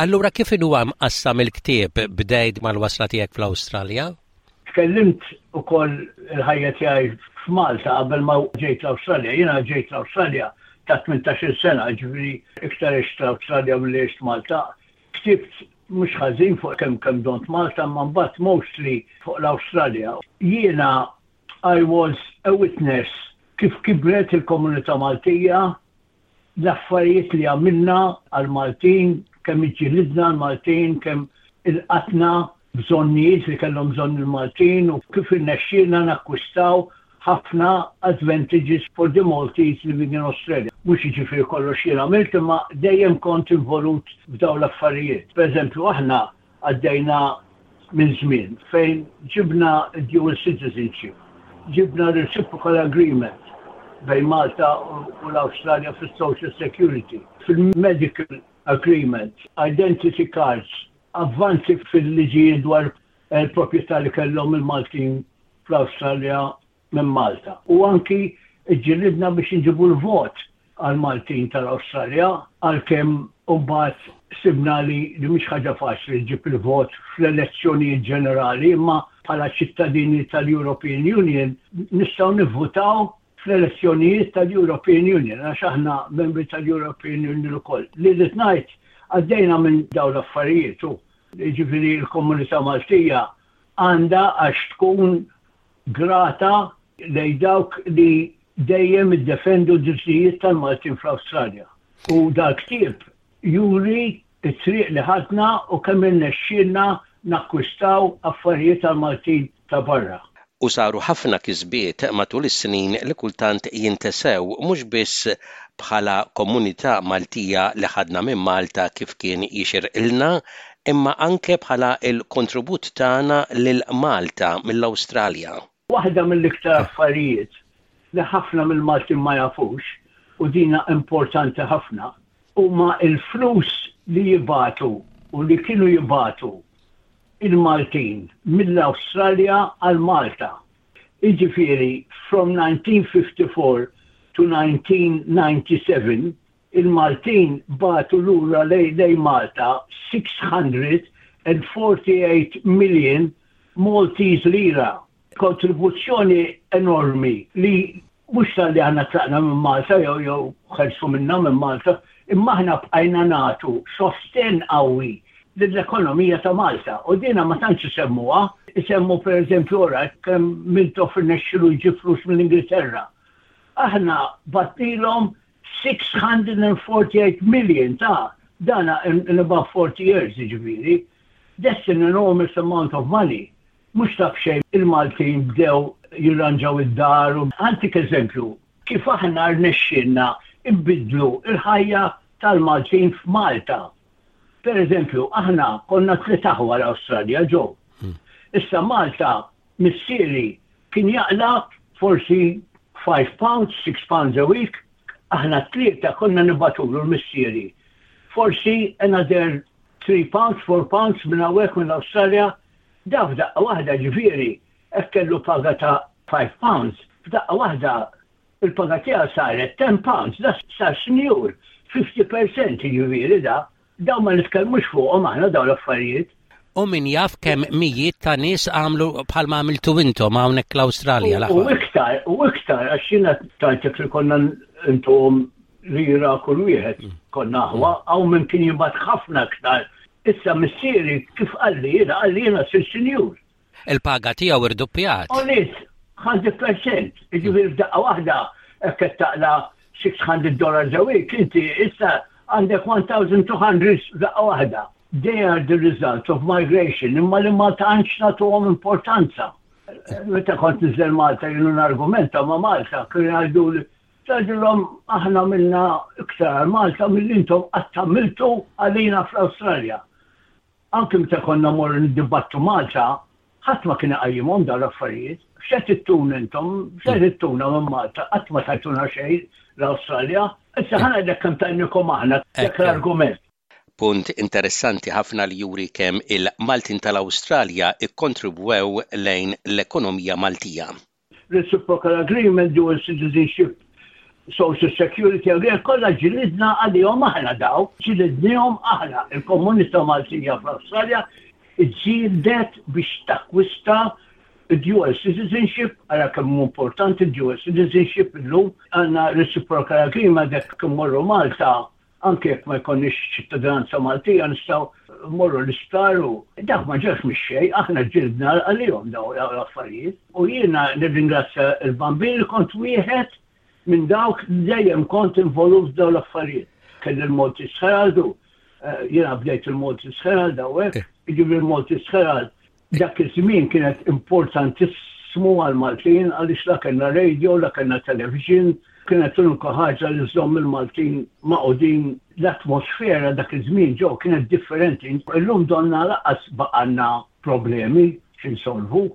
Allura kif inhuwa mqassam il-ktieb bdejt mal-wasla tiegħek fl-Awstralja? Tkellimt ukoll il-ħajja tiegħi f'Malta qabel ma ġejt l-Awstralja. Jiena ġejt l-Awstralja ta' 18-il sena, ġifieri iktar għext l-Awstralja milli għext Malta. Ktibt mhux ħażin fuq kemm kemm dont Malta, imma mbagħad mostly fuq l-Awstralja. Jiena I was a witness kif kibret il-komunità Maltija, l-affarijiet li għamilna għall-Maltin, kemm iġġilidna għall-Maltin, kemm ilqatna bżonnijiet li kellhom bżonn il-Maltin u kif irnexxielna nakkwistaw ħafna advantages for the Maltese living in Australia. Mhux jiġifieri kollox jien għamilt imma dejjem kont involut f'dawn l-affarijiet. Pereżempju aħna Għaddejna minn żmien fejn ġibna d-dual citizenship, ġibna reciprocal agreement bejn Malta u l-Awstralja fis-social security, fil-medical agreement, identity cards, avvanzi fil-liġijiet dwar il-proprjetà li kellhom il-Maltin fl-Awstralja minn Malta u anki ġġilidna biex inġibu l-vot għall-Maltin tal-Awstralja għalkemm imbagħad sibna li li mhix ħaġa faċli ġġib il-vot fl-elezzjonijiet ġenerali imma bħala ċittadini tal-European Union nistgħu nivvutaw fl-elezzjonijiet tal-European Union għax aħna membri tal-European Union ukoll. Li rrid ngħid għaddejna minn dawn l-affarijiet u jiġifieri l-komunità Maltija għandha għax tkun grata lejn dawk li dejjem iddefendu d-drittijiet tal-Maltin fl-Awstralja. U dal-ktieb juri t-triq li ħadna u kemm irnexxielna nakkwistaw affarijiet għall-Maltin ta' barra. U saru ħafna kisbiet matul is-snin li kultant jintesew mhux biss bħala komunità Maltija li ħadna minn Malta kif kien jixirqilna imma anke bħala l-kontribut tagħna lil Malta mill-Awstralja. Waħda mill-iktar affarijiet li ħafna mill-Maltin ma jafux, u dina importanti ħafna, huma l-flus li jibagħtu u li kienu jibagħtu il-Maltin mill-Awstralja għal Malta. Jiġifieri from 1954 to 1997 Il-Maltin bagħtu lura lejn Malta 648 million Maltese lira. Kontribuzzjoni enormi li mhux talli aħna tlaqna minn Malta jew jew ħelsu minna minn Malta, imma aħna bqajna nagħtu sostenn qawwi lill-ekonomija ta' Malta. U dina ma tantx isemmuha, isemmu pereżempju ora kemm Mintoff irnexxielu jġib flus mill-Ingilterra. Aħna bagħtnilhom 648 million ta' dana in, in about 40 years jiġifieri. That's an enormous amount of money. Mhux ta' b'xejn il-Maltin bdew jirranġaw id-dar u ħa ntik eżempju kif aħna rnexxielna nbiddlu l-ħajja tal-Maltin f'Malta. Per eżempju, aħna konna tliet aħwa l-Awstralja ġew. Issa Malta missieri kien jaqla' forsi 5 pounds, 6 pounds a week, aħna t-tlieta konna nibagħtulu l-missieri. Forsi another 3 pounds, 4 pounds minn hawnhekk mill-Awstralja, da f'daqqa waħda ġifieri hekk kellu paga ta' 5 pounds, f'daqqa waħda il-paga tiegħu saret 10 pounds, da sar sinjur, 50% jiġifieri da. Dawn ma nitkellmux fuqhom aħna dawn l-affarijiet. U min jaf kemm mijiet ta' nies għamlu bħalma għamiltu intom hawnhekk l-Awstralja l-aħħar. U iktar, u iktar, għax jiena tajtek li konna intuhom lira kull wieħed, konna aħwa, hawn min kien jibgħat ħafna iktar. Issa missieri kif qalli jiena, qalli jiena sir sinjur. Il-paga tiegħu irduppjat. Għoliet 100%, jiġifieri f'daqqa waħda hekk qed taqla' 600 dollars a week, inti issa għandek 1200 f'daqqa waħda. They are the result of migration, imma li ma tantx nagħtuhom importanza. Meta kont niżel Malta jienu nargumenta ma' Malta, kienu jgħiduli tgħidilhom aħna għamilna iktar għal Malta milli intom qatt għamiltu għalina fl-Awstralja. Anki meta konna mmorru niddibattu Malta, ħadd ma kien iqajjimhom dawn l-affarijiet. X'qed ittuna intom? X'qed ittuna minn Malta? Qatt ma tajtuna xejn l-Awstralja. Issa ħa ngħidlek kemm tajnikom aħna dak l-argument. Punt interessanti ħafna li juri kemm il-Maltin tal-Awstralja kkontribwew lejn l-ekonomija Maltija. Reciprocal Agreement, Dual Citizenship, Social Security Agreement, kollha ġilidna għalihom aħna daw, ġilidnihom aħna, il-komunità Maltija fl-Awstralja ġġieldet biex takkwista dual citizenship, ara kemm hu importanti dual citizenship illum, għandna reciprocal agreement jekk immorru Malta Anke jekk ma jkollniex ċittadinanza Maltija nistgħu mmorru l-isptar u dak ma ġewx mix-xejn, aħna ġġilidna għalihom dawn l-affarijiet. U jiena nirringrazzja l-Bambin li kont wieħed minn dawk li dejjem kont involut f'dawn l-affarijiet. Kelli l-Maltese Herald u jiena bdejt il-Maltese Herald hawnhekk, jiġifieri l-Maltese Herald Dak iż-żmien kienet importantissimu għall-Maltin għaliex la kellna radio, la kellna television, kienet l-unika ħaġa li żżomm il-Maltin magħqudin. L-atmosfera dak iż-żmien ġew kienet differenti. Illum donna lanqas baqgħalna problemi xi nsolvu.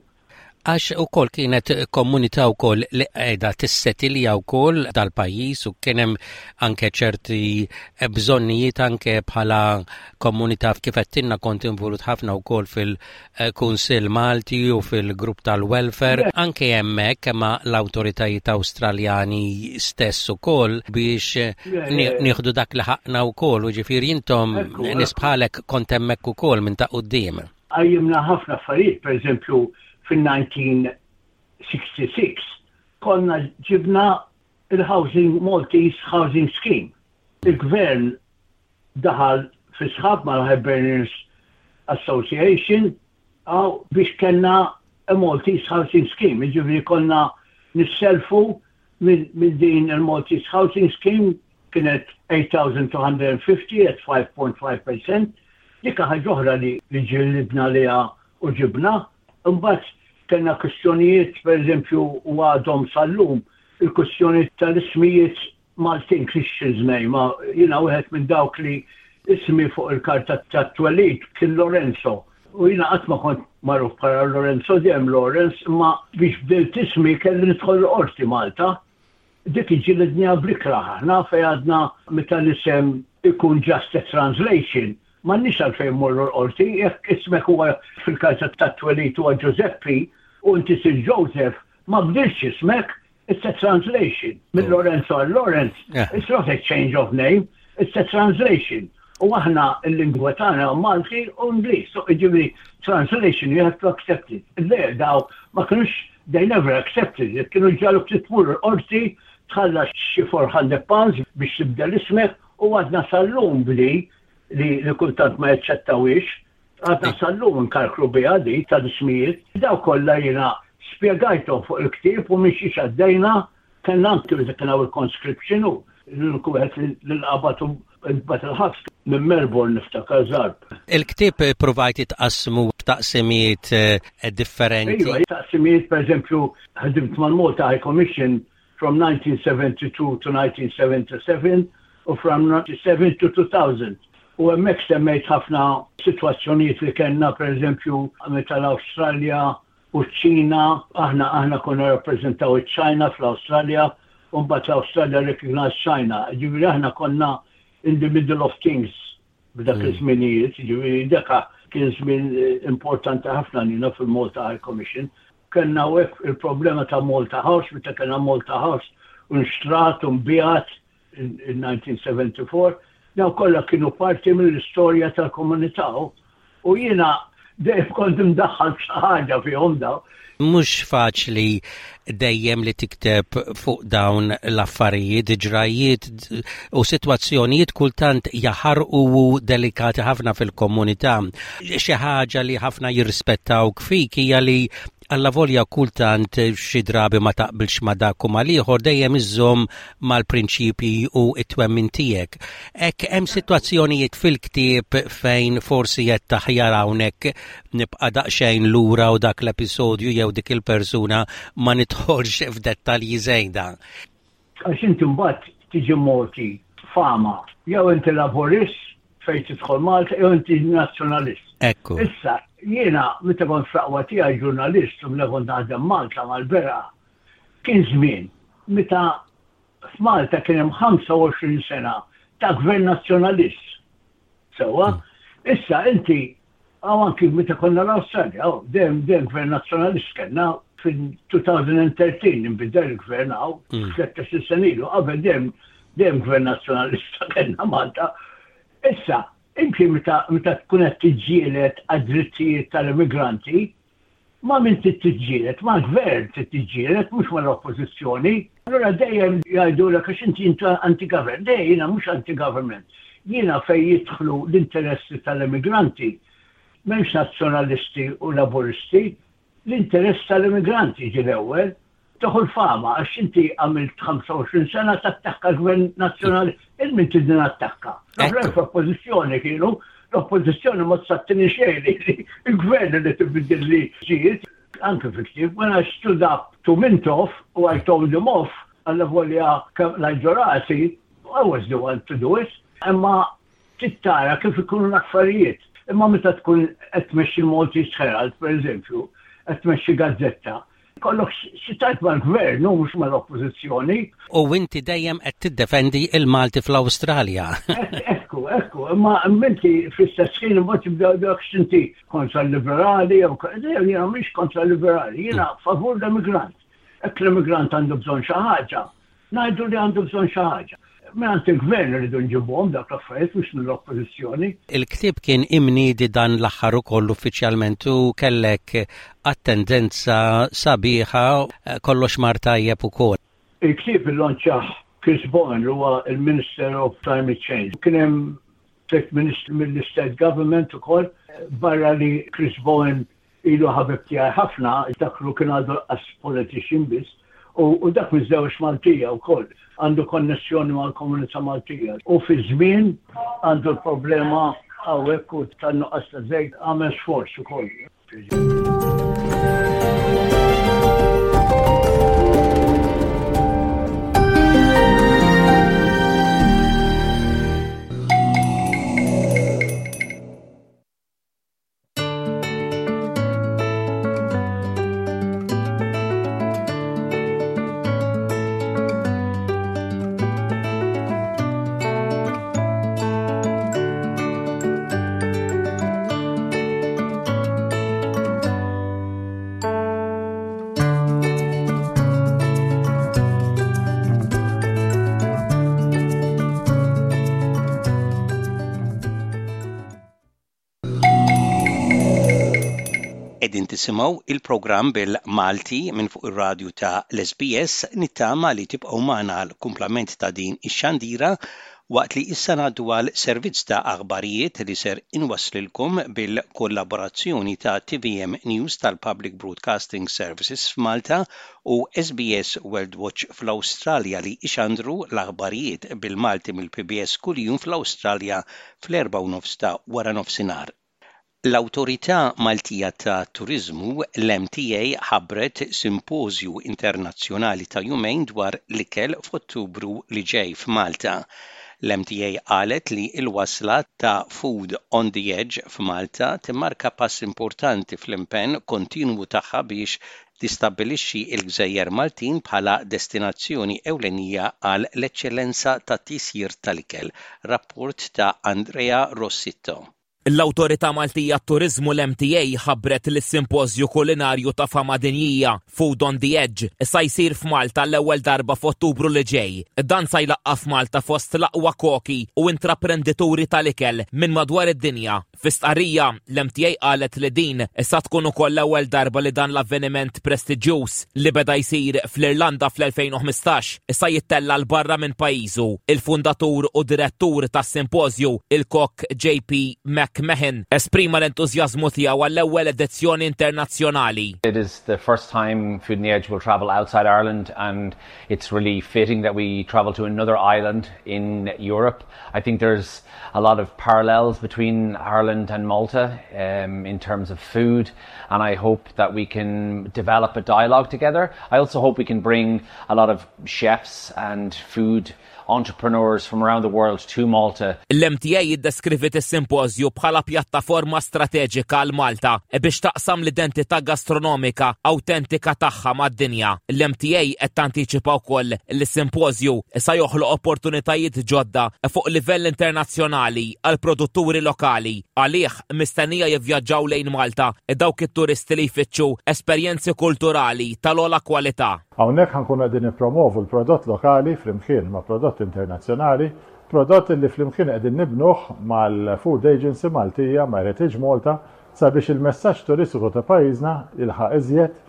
Għax ukoll kienet komunità wkoll li qiegħda tissetilja wkoll dal-pajjiż u kien hemm anke ċerti bżonnijiet anke bħala komunità kif għedtilna kont involut ħafna wkoll fil-Kunsill Malti u fil-grupp tal-welfare anke hemmhekk ma' l-awtoritajiet Awstraljani stess ukoll biex nieħdu dak li ħaqna wkoll u ġifieri intom nies bħalek kont hemmhekk ukoll minn ta' quddiem. Qajjimna ħafna affarijiet, pereżempju fin-1966 konna ġibna il-Housing Maltese Housing Scheme. Il-Gvern daħal fi sħab mal-Hibernians Association biex kellna a Maltese Housing Scheme, jiġifieri konna nisselfu minn din il-Maltese Housing Scheme kienet 8,250 at 5.5%. Dik ħaġa oħra li ġillidna liha u ġibna. Imbagħad kellna kwistjonijiet, pereżempju, u għadhom sal-lum, il-kwistjoni tal-ismijiet Maltin Christians name, jiena wieħed minn dawk li ismi fuq il-karta tat-twelid kien Lorenzo. U jiena qatt ma kont magħruf bħala Lorenzo dejjem Lawrence, imma biex bdilt ismi kelli nidħol il-qorti Malta. Dik iġġilidniha bl-ikrah aħna fejn għadna meta l-isem ikun just a translation, m'għandniex għalfejn immorru l-qorti, jekk ismek huwa fil-karta tat-twelid huwa Ġużeppi u inti sirt Joseph, ma bdiltx ismek, it's a translation. Minn Lorenzo għal Lawrence, it's not a change of name, it's a translation. U aħna l-lingwa tagħna Malti u Ingliż, so jiġifieri translation you have to accept it. Le, daw ma kinux They never accepted it. Kienu jġagħluk li tmur il-qorti, tħallas xi 400 pounds biex tibdel ismek u għadna sal-lum b'di li li kultant ma jaċċettawhiex. Għadna sal-lum nkarkru biha di tal-ismijiet. Daw kollha jiena spjegajthom fuq il-ktieb u minn xiex għaddejna. Kellna anki meta kien hawn il-conscription u l-uniku wieħed li nqabad u. Intbagħat il-ħabs minn Melbourne niftakar żarb. Il-ktieb ppruvajt tqassmu f'taqsimiet differenti. Iva, taqsimiet pereżempju ħdimt mal-Malta High Commission from 1972 to 1977 u from 1997 to 2000. U hemmhekk semmejt ħafna sitwazzjonijiet li kellna pereżempju meta l-Awstralja u ċ-Ċina, aħna aħna konna rappreżentaw iċ-Ċina fl-Awstralja u mbagħad l-Awstralja recognized China. Ġifieri aħna konna in the middle of things b'dak mm. iż-żminijiet, ġifieri daka kien żmien eh, importanti ħafna lina fil-Malta High Commission. Kellna hekk il-problema ta' Malta House, meta kellna Malta House u nxtrat u nbijat in 1974, daw kollha kienu parti mill-istorja tal-komunità u jiena dejjem kont imdaħħal xi ħaġa fihom daw. Mhux faċli dejjem li tikteb fuq dawn l-affarijiet, ġrajiet u sitwazzjonijiet kultant jaħarqu u delikati ħafna fil-komunità. Xi ħaġa li ħafna jirrispettawk fik hija li Allavolja kultant xi drabi ma taqbilx ma' dak u mal-ieħor dejjem iżżomm mal-prinċipji u t-twemmin tiegħek. Hekk hemm sitwazzjonijiet fil-ktieb fejn forsi għedt aħjar hawnhekk nibqa' daqsxejn lura u dak l-episodju jew dik il-persuna ma nidħolx f'dettalji żejda. Għax inti mbagħad tiġi mogħti fama jew inti Laburist fejn tidħol Malta jew inti nazzjonalist. Ekku. Issa, jiena meta kont fl-aqwa tiegħi ġurnalist u meta kont naħdem Malta mal-Berqa, kien żmien meta f'Malta kien hemm 25 sena ta' gvern nazzjonalist. Sewwa, mm. issa inti Hawn anki meta konna l-Awstralja, dejjem dejjem gvern nazzjonalist kellna fil-2013 inbidel il-gvern hawn, 13 mm. sena ilu, qabel dejjem dejjem gvern nazzjonalista kellna Malta. Issa, inti meta meta tkun qed tiġġieled għad-drittijiet tal-immigranti, Ma' min trid tiġġieled? Mal-gvern trid tiġġieled mhux mal-oppożizzjoni. Allura dejjem jgħidulek għax inti inti anti-government. Le, jiena mhux anti-government. Jiena fejn jidħlu l-interessi tal-immigranti, m'hemmx nazzjonalisti u laburisti, l-interess tal-immigranti jiġi l-ewwel. Tieħu l-fama għax inti għamilt 25 sena tattakka l-Gvern Nazzjonali. Il min tridni nattakka? L-oħrajn fl-oppożizzjoni kienu, l-oppożizzjoni ma tsattini xejn li il-gvern li tibdil li ġiet. Anke fil-ktieb, when I stood up to Mintoff u I told him off, allavolja kemm qlajt rasi, I was the one to do it. Imma trid tara kif ikunu l-affarijiet. Imma meta tkun qed tmexxi l-Maltese Herald, pereżempju, qed tmexxi gazzetta, Kollok xi tgħid mal-gvern u mhux mal-oppożizzjoni. U inti dejjem qed tiddefendi l-Malti fl-Awstralja. Ekku, ekku, imma inti fl-istess ħin imbagħad jibdew jgħidulek x'inti kontra l-liberali jew jiena mhix kontra l-liberali, jiena favur l-immigrant. Hekk l-immigrant għandu bżonn xi ħaġa, Ngħidu li għandu bżonn xi ħaġa. Mingħand il-Gvern irridu nġibuhom dawk l-affarijiet mhux mill-Oppożizzjoni. Il-ktieb kien imniedi dan l-aħħar ukoll uffiċjalment u kellek attendenza sabiħa, kollox mar tajjeb ukoll. Il-ktieb illonċjah Chris Bowen li huwa l-Minister of Climate Change. Kien hemm tlett ministri mill-State Government ukoll, barra li Chris Bowen Ilu ħabib tiegħi ħafna, daklu kien għadu lanqas politician biss, u dak miżżewweġ Maltija wkoll, għandu konnessjoni mal-komunità Maltija. U fi żmien għandu l-problema hawnhekk u tan-nuqqas ta' żejt għamel sforz ukoll. Qegħdin tisimgħu il-programm bil-Malti minn fuq ir-radju ta' l-SBS nittama li tibqgħu magħna għal kumplament ta' din ix-xandira. Waqt li issa ngħaddu għal servizz ta' aħbarijiet li ser inwasslilkom bil-kollaborazzjoni ta' tvm News tal-Public Broadcasting Services f'Malta u SBS World Watch fl-Awstralja li jxandru l-aħbarijiet bil-Malti mill-PBS kuljum fl-Awstralja fl-erbgħa u nofs ta' waranofsinhar. L-Awtorità Maltija tat-Turiżmu, l-MTA, ħabbret simpożju internazzjonali ta' jumejn dwar l-ikel f'Ottubru li ġej f'Malta. L-MTA qalet li l-wasla ta' Food on the Edge f'Malta timmarka pass importanti fl-impenn kontinwu tagħha biex tistabbilixxi l-gżejjer Maltin bħala destinazzjoni ewlenija għal l-eċċellenza tat-tisjir tal-ikel. Rapport ta' Andrea Rossitto. L-Awtorità Maltija għat-Turiżmu, l-MTA, ħabbret li s-simpożju kulinarju ta' fama dinjija, Food on the Edge, sa jsir f'Malta għall-ewwel darba f'Ottubru li ġej. Dan sa jlaqqa' f'Malta fost l-aqwa koki u intraprendituri tal-ikel minn madwar id-dinja. Fi stqarrija, l-MTA qalet li din sa tkun ukoll l-ewwel darba li dan l-avveniment prestiġjuż, li beda jsir fl-Irlanda fl-2015, sa jittella' 'l barra minn pajjiżu. Il-fundatur u direttur tas-simpożju, il-kok JP McMahon, esprima l-entużjażmu tiegħu għall-ewwel edizzjoni internazzjonali. It is the first time Food on the Edge will travel outside Ireland and it's really fitting that we travel to another island in Europe. I think there's a lot of parallels between Ireland and Malta um, in terms of food and I hope that we can develop a dialogue together. I also hope we can bring a lot of chefs and food entrepreneurs from around the world to Malta. L-MTA iddeskriviet is-simpożju bħala pjattaforma strateġika għal Malta biex taqsam l-identità gastronomika awtentika tagħha mad-dinja. L-MTA qed tantiċipa wkoll li s-simpożju sa joħloq opportunitajiet ġodda fuq livell internazzjonali għall-produtturi lokali. Għalih mistennija jivvjaġġaw lejn Malta dawk it-turisti li jfittxu esperjenzi kulturali tal-ogħla kwalità. Hawnhekk ħa nkunu qegħdin nippromovu l-prodott lokali flimkien ma' prodott internazzjonali, prodott li flimkien qegħdin nibnuh mal-Food Agency Maltija, ma' Heritage Malta, sabiex il-messaġġ turistiku ta' pajjiżna jilħaq iżjed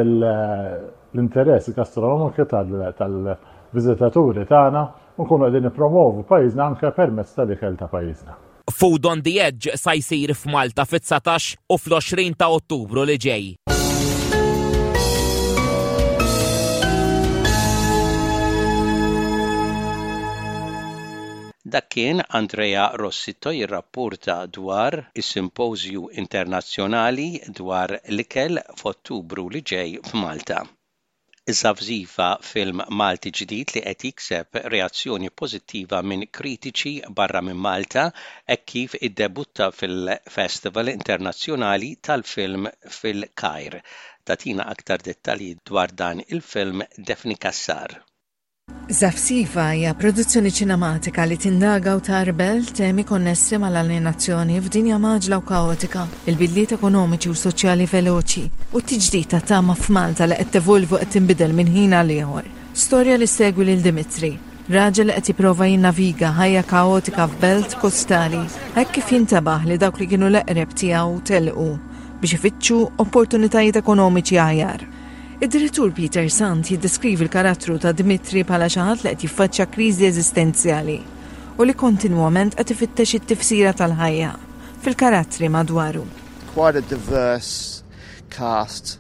l-interess gastronomiku tal-viżitaturi tagħna u nkunu qegħdin nippromovu pajjiżna anke permezz tal-ikel ta' pajjiżna. Food on the Edge sa jsir f'Malta fit-19 u fl-20 ta' Ottubru li ġej. Dak kien Andrea Rossitto jirrapporta dwar is-Simpożju Internazzjonali dwar l-Ikel f'Ottubru li ġej f'Malta. Żafżifa, film Malti ġdid li qed jikseb reazzjoni pożittiva minn kritiċi barra minn Malta hekk kif iddebutta fil-Festival Internazzjonali tal-Film fil-Kajr. Tagħtina aktar dettalji dwar dan il-film Daphne Cassar. Żafżifa hija produzzjoni ċinematika li tindaga u tgħarbel temi konnessi mal-aljenazzjoni f'dinja mgħaġġla u kaotika, il-bidliet ekonomiċi u soċjali veloċi, u t-tiġdid ta' tama f'Malta li qed tevolvi u qed tinbidel minn ħin għal ieħor. Storja li ssegwi lil Dimitri, raġel li qed jipprova jinnaviga ħajja kaotika f'belt kostali, hekk kif jintebaħ li dawk li kienu l-eqreb tiegħu telqu biex ifittxu opportunitajiet ekonomiċi aħjar. Id-direttur Peter Sant jiddeskrivi l-karattru ta' Dmitri bħala xi ħadd li qed jiffaċċja kriżi eżistenzjali u li kontinwament qed ifittex it-tifsira tal-ħajja fil-karattri madwaru. Quite a diverse cast.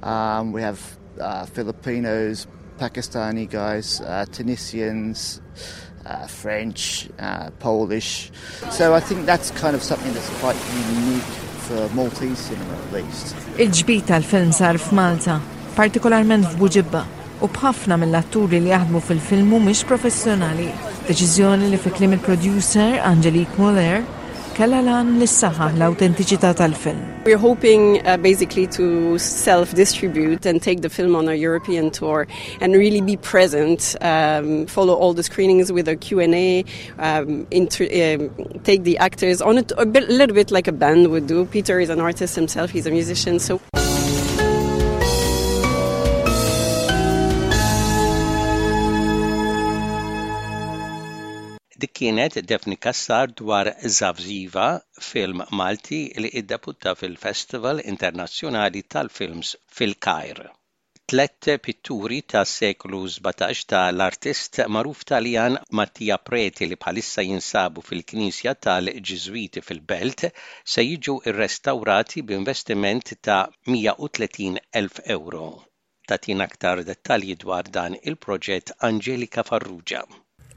Um, we have uh, Filipinos, Pakistani guys, uh, Tunisians, uh, French, uh, Polish. So I think that's kind of something that's quite unique for Maltese cinema at least. Il-ġbid tal-film sar f'Malta, partikolarment f'Buġibba, u b'ħafna mill-atturi li jaħdmu fil-film mhumiex professjonali. Deċiżjoni li fi kliem il-producer Angelique Muller kellha l-għan li ssaħħaħ l-awtentiċità tal-film. We're hoping uh, basically to self-distribute and take the film on a European tour and really be present, um, follow all the screenings with a Q&A, um, inter- um, take the actors on it a, bit, a little bit like a band would do. Peter is an artist himself, he's a musician, so... Dik kienet Daphne Cassar dwar Żafżiva, film Malti li iddebutta fil-Festival Internazzjonali tal-Films fil-Kajr. Tlett pitturi tas-seklu 17 ta' l-artist magħruf Taljan Mattia Preti li bħalissa jinsabu fil-knisja tal-Ġiżwiti fil-Belt se jiġu rrestawrati b'investiment ta' 130,000 ewro. Tagħtina aktar dettalji dwar dan il-proġett Angelika Farrugia.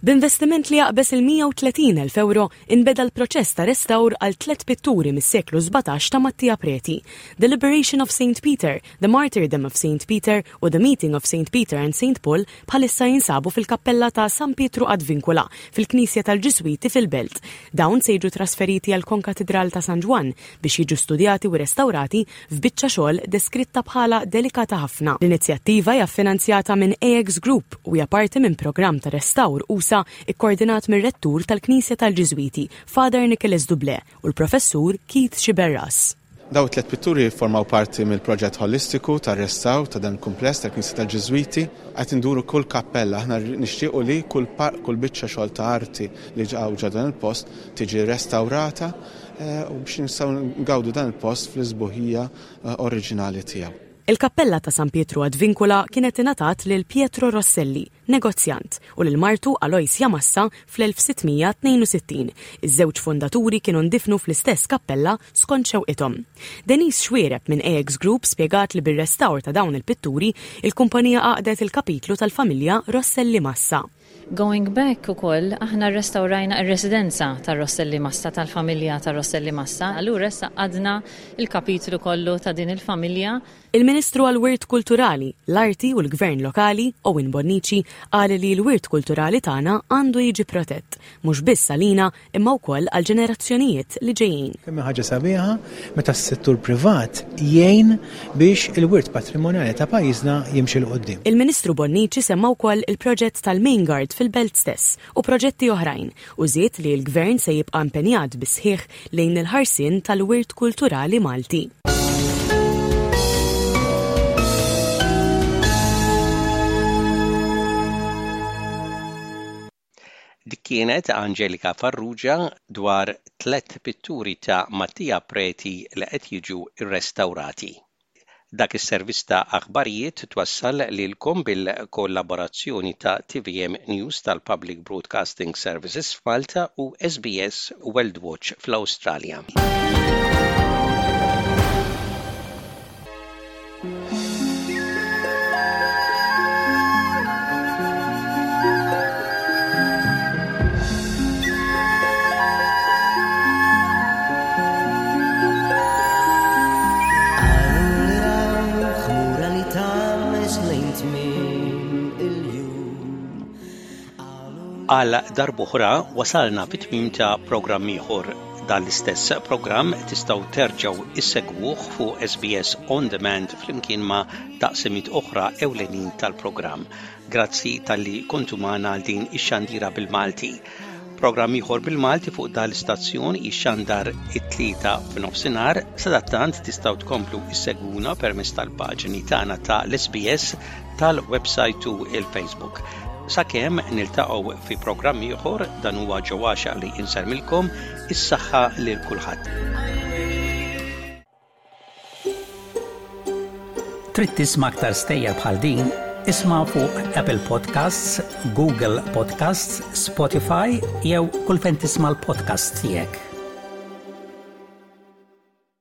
B'investiment li jaqbeż il-130,000 ewro, inbeda l-proċess ta' restawr għal tlett pitturi mis-seklu 17 ta' Mattia Preti, The Liberation of Saint Peter, The Martyrdom of Saint Peter u The Meeting of Saint Peter and Saint Paul bħalissa jinsabu fil-kappella ta' San Pietru ad Vincula fil-Knisja tal-Ġiżwiti fil-Belt. Dawn se jiġu trasferiti għall-Konkatidral ta' San Ġwann biex jiġu studjati u restawrati f'biċċa xogħol deskritta bħala delikata ħafna. L-inizjattiva hija ffinanzjata minn AX Group u hija parti minn programm ta' restawr usa' ikkordinat mir-Rettur tal-Knisja tal-Ġiżwiti, Father Nicholas Dublé, u l-Professur Keith Sciberras. Dawn it-tliet pitturi jifformaw parti mill-proġett ħolistiku ta' restawr ta' dan il-kumpless tal-Knisja tal-Ġiżwiti. Qed induru kull kappella, aħna nixtiequ li kull kull biċċa xogħol ta' arti li hawn ġo dan il-post tiġi restawrata u biex nistgħu ngawdu dan il-post fl-isbuħija oriġinali tiegħu. Il-kappella ta' San Pietru ad Vincula kienet ingħatat lil Pietro Rosselli, negozjant, u lil martu Aloysia Massa fl-1662. Iż-żewġ fundaturi kienu ndifnu fl-istess kappella skont xewqithom. Denise Xuereb minn AX Group spjegat li bir-restawr ta' dawn il-pitturi, il-kumpanija għaqdet il-kapitlu tal-familja Rosselli Massa. Going back ukoll, aħna rrestawrajna r-residenza tar-Rosselli Massa, tal-familja tar-Rosselli Massa, allura issa għaddna l-kapitlu kollu ta' din il-familja. Il-Ministru għall-Wirt Kulturali, l-Arti u l-Gvern Lokali, Owen Bonnici, qal li l-wirt kulturali tagħna għandu jiġi protett, mhux biss għalina imma wkoll għall-ġenerazzjonijiet li ġejjin. Kemm hi ħaġa sabiħa meta s-settur privat jgħin biex il-wirt patrimonjali ta' pajjiżna jimxi 'l quddiem. Il-Ministru Bonnici semma wkoll il-proġett tal-Main Guard fil-Belt stess u proġetti oħrajn u żied li l-Gvern se jibqa' impenjat bis-sħiħ lejn il-ħarsien tal-wirt kulturali Malti. Dik kienet Angelika Farrugia dwar tlett pitturi ta' Mattia Preti li qed jiġu rrestawrati. Dak is-servizz ta' aħbarijiet twassal lilkom bil-kollaborazzjoni ta' tvm News tal-Public Broadcasting Services f'Malta u SBS Worldwatch fl-Awstralja. Għal darb'oħra wasalna fit-tmiem ta' programm ieħor. Dan l-istess programm tistgħu terġgħu issegwuh fuq SBS On Demand flimkien ma' taqsimiet oħra ewlenin tal-programm. Grazzi talli kontu magħna għal din ix-xandira bil-Malti. Programm ieħor bil-Malti fuq dan l-istazzjon jixxandar it-Tlieta f'nofsinhar, sadattant tistgħu tkomplu issegwuna permezz tal-paġni tagħna ta' l-SBS tal-website u il-Facebook. Sakemm niltaqgħu fi programm ieħor dan huwa ġewwaxa li insellmilkom is-saħħa lil kulħadd. Trid tisma' aktar stejjer bħal din? Isma' fuq Apple Podcasts, Google Podcasts, Spotify jew kull fejn tisma' l-podcasts tiegħek.